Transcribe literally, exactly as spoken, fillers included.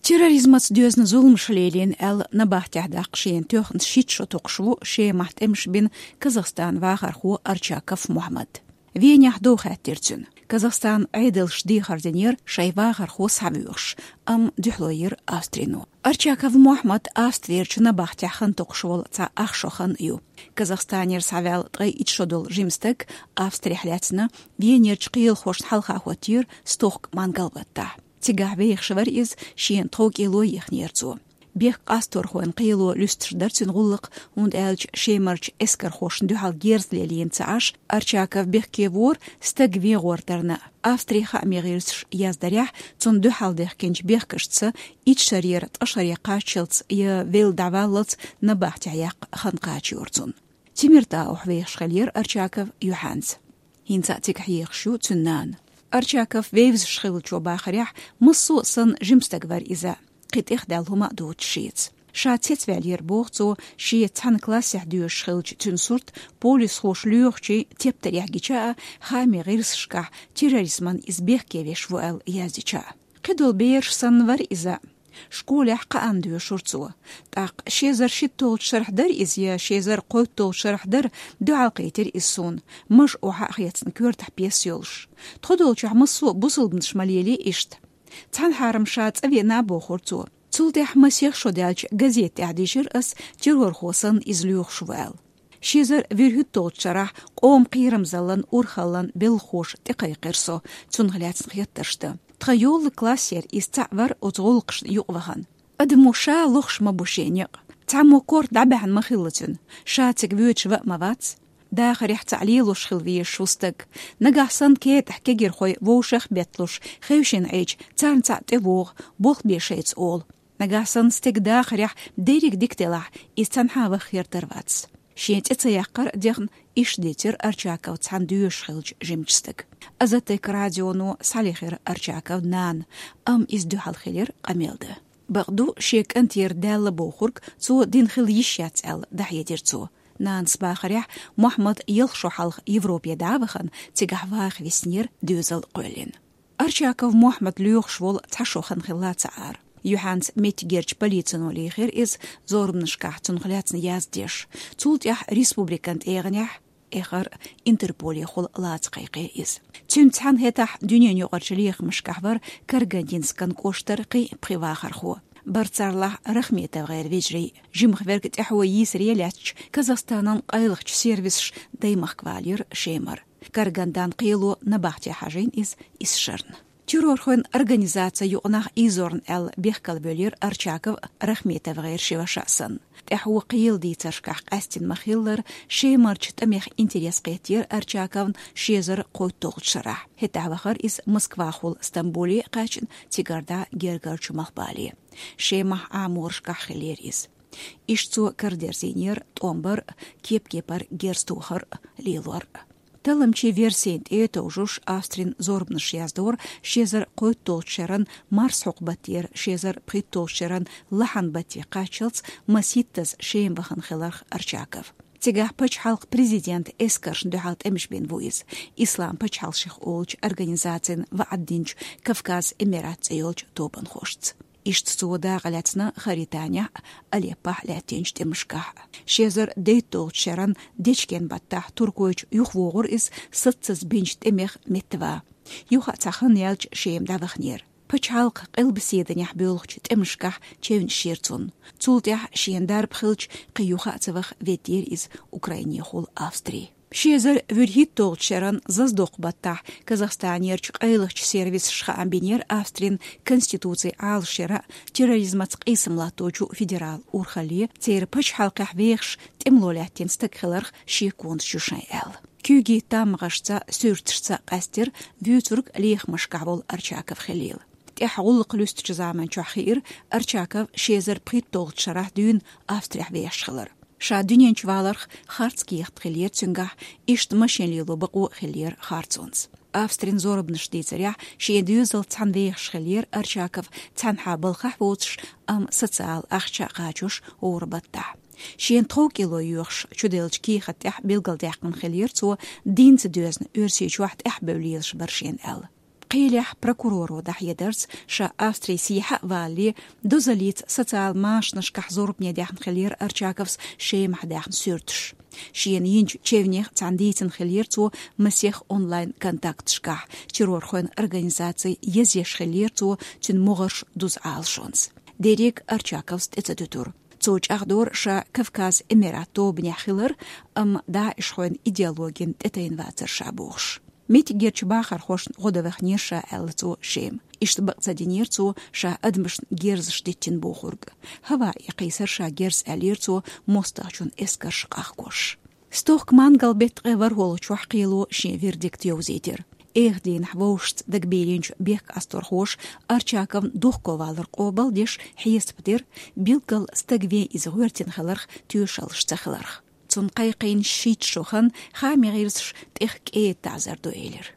Терроризмаца доьзна зуламаш лелийна аьлла, набахтехь даккха шена тоьхна шийтта шо токхуш ву Шемахь тӀемаш бина Казахстан вахархо Арчаков Мухьмад. Венехь дов хаьттира цуьнан. Казахстан Ӏедалша дехар динера шайн вахархо схьавоьхуш, амма дуьхьало йира Австрино. Арчаков Мухьмад Австрерчу набахтехь хан токхуш волу цхьа ах шо хан ю. Казахстанера схьаваьлла ткъе итт шо долу жима стаг Австрехь лаьцна Венерчу кхелахошна хьалха хӀоттийра стохка мангал-баттахь. Цигахь вехаш вара иза шена тхов кӀело ехнера цо. Бехк къасторхойн кхело луьстуш дара цуьнан гӀуллакх, хӀунда аьлча Шемарчу эскархошна дуьхьал герз лелийна ца Ӏаш, Арчаков бехке вора стаг вен гӀортарна. Австрин хаамийн гӀирсаша яздарехь, цунна дуьхьал дехкинчу бехкашца итт шарера ткъа шаре кхаччалц я велла дӀаваллалц набахтехь яккха хан кхачийра цунна. Тимиртаух вехаш хиллера Арчаков юьхьанца. ХӀинца а цигахь ехаш ю цуьнан нана. Арчаков вевзаш хиллачо бахарехь, массо а санна жима стаг вара иза. Кхин тӀехдаьлла хӀума а доцуш шеца. Ша цецваьллера, боху цо, шен цхьана классехь доьшуш хиллачу цуьнан сурт полисхоша лоьхучийн тептарехь гича а, хаамийн гӀирсашкахь терроризмана иза бехке веш ву аьлла яздича а. Кхидолу бераш санна вара иза. Школехь кхаанна доьшура цо. ТӀаккха ши эзар шийтталгӀачу шарахь дара иза я ши эзар кхойтталгӀачу шарахь дара, дуьхьалкхийтира иза суна, мажа охьа а хецна, коьртахь пьеса йолуш. Тхо долчохь массо а бусалбанаш ма лелий иштта. Цхьана хьарам ша цӀа веана, бохура цо. Цул тӀаьхьа масех шо даьлча газета тӀехь дийшира ас, террорхо санна иза лоьхуш ву аьлла. Ши эзар вуьрхӀитталгӀачу шарахь къоман кхерамзаллин, урхаллин белхахоша тӀекхайкхира со, цунах лаьцна хеттарш дан. Тхан йоллу классера иза цхьаъ вара оцу гӀуллакхашна юкъавахана. Адамо ша лохуш ма бу шен некъ. Цхьаммо корта дӀабаьхьна ма хилла цуьнан, ша цига воьдуш ван а ма вац. Дахарехь цхьаъ лелош хила везаш ву стаг. Нагахь санна кетӀахь кегирхой вовшах а бетталуш, хевшина Ӏийча, царна цхьаъ тӀевогӀу, болх бе шайца олу. Нагахь санна стеган дахарехь дерриг дика делахь, иза цхьанхьа ваха хир дара вац. Шен цӀе ца яккхар а дехна, иштта дийцира Арчаков цхьаьна доьшуш хиллачу жимачу стага. Азаттек радионо схьалехира Арчаковн нана, амма иза дуьхьал хилира къамел дан. Бакъду, шен кӀантера даьлла бохург цо дина хила йиш яц аьлла, дӀахьедира цо. Нанас бахарехь, Мухьмад ялх шо хьалха Европе дӀа а вахана, цигахь ваха виснера, доьзал кхоьллина. Арчаков Мухьмад лоьхуш волу цхьа шо хан хилла ца Ӏара. Юьхьанца меттигерчу полицино лийхира иза, зорбанашкахь цунах лаьцна яздеш. Цул тӀаьхьа республикан тӀегӀанехь, эххар Интерполехула лаца кхайкхи иза. Цуьнца цхьаьна хӀетахь дуьненаюкъарчу лехамашкахь вара Карагандинскан кӀоштара кхин а пхи вахархо. Бара царлахь РахметовгӀеран вежарий. Жимах верг тӀаьхьо йийсаре лаьцча, Казахстанан къайлахчу сервисаша Даймахка валийра Шемара. Карагандан кхело набахте хьажийна иза исс шарна. Террорхойн организаци юкъанах ийзорна аьлла бехкал бевлира Арчаков РахметовгӀеран ши ваша а санна. ТӀаьхьо кхелан дийцаршкахь къаьстина ма-хиллара, Шемарчу тӀамех интерес кхеттера Арчаковн ши эзар кхойтталгӀачу шарахь. ХӀетахь вахара иза Москвахула Стамбуле а кхаьчна, цигара дӀа гергарчу малхбале. Шемахь Ӏаморашкахь хиллера иза. Иштта цо карадерзийнера тӀом бар а, кеп-кепара герз тохар а, лелор а. Талламчийн версина тӀе а товжуш, Австрин зорбанаш яздора ши эзар кхойтталгӀачу шеран марсхьокху баттера ши эзар пхийтталгӀачу шеран лахьан батте кхаччалц масийттаза Шема вахана хиларх Арчаков. Цигахь пачхьалкхан президентан эскаршна дуьхьал тӀемаш бина ву иза, Ислам пачхьалкхашха олучу организацина ваӀда динчу Кавказ Эмират цӀе йолчу тобанхошца. Иштта цо дакъа лаьцна Хаританехь а, Алеппохь а лаьттинчу тӀемашкахь а. Ши эзар дейтталгӀачу шеран дечкен баттахь туркойчу юхавогӀура иза саццаза бинчу тӀемех меттава. Юха а цхьа хан яьлча Шема дӀаваханера. Пачхьалкхан къилбаседанехь боьлхучу тӀемашкахь чевнаш йира цунна. Цул тӀаьхьа шена дарба хилча, кхин юха а ца ваха веддера иза Украинехула Австри. Ши эзар вуьрхӀитталгӀачу шеран зазадоккху баттахь Казахстанерчу къайлахчу сервисаша хаам бинера Австрин конституци Ӏалашъяра а, терроризмаца къийсам латточу федерал урхалле, церан пачхьалкхехь вехаш тӀемало лаьттина стаг хиларх шеконаш ю шайн аьлла. Куьйгийн таммагӀашца, суьрташца къаьстира вуьйцург лехамашкахь волу Арчаков хиллийла. ТӀаьхьа гӀуллакх луьстучу заманчохь хиира Арчаков ши эзар пхийтталгӀачу шарахь дуьйна Австрехь вехаш хилар. Ша дуьнен чу валарх харц кехат хиллера цуьнгахь, иштта машен лело бакъо а хиллера харцонца. Австрин зорбанаш дийцарехь, шен доьзалца цхьаьна вехаш хиллера Арчаков цхьанхьа балхахь воцуш, амма социал ахча а кхачош гӀора баттахь. Шена тхов кӀело йоьхуш чуделлачу кехат тӀехь билгалдаьккхина хиллера цо, динца доьзна Оьрсийчохь тӀаьхьабевлла лелаш бара шена аьлла. Кхелехь прокуроро дӀахьедарца, ша Австри сехьа а валале, дозаллица социал машанашкахь зорбане даьхна хиллера Арчаковс Шемахь даьхна суьрташ. Шена йинчу чевнех цхьана дийцина хиллера цо масех онлайн-контакташкахь, террорхойн организаци язъеш хиллера цо цуьнан могӀарш дуза Ӏалашонца. Дерриг Арчаковс тӀе ца дуьтура. Цо чӀагӀдора ша Кавказ Эмират тобанехь хилар, амма даишхойн идеологина тӀетайна вацар ша бохуш. Меттигерчу бахархошна гӀо дан ваханера ша, аьлла цо Шема. Иштта бакъ ца динера цо ша адамашна герзаш диттина бохург. ХӀаваъ кхийсар ша герз, аьллера цо мостагӀчун эскарш къахкош. Стохка мангал-беттан ткъе ворхӀалгӀачохь кхело шен вердикт йовзийтира. Эха дийнахь вовшашца дагабийлинчу бехкастархоша Арчаковн духковалар къобалдеш хьесап дира, билггал стаг вен иза гӀоьртина хиларх тоьшаллаш ца хиларх. Цунна кхайкхийна шийтта шо хан хаамийн гӀирсаша тӀех кӀеда таӀзар ду элира.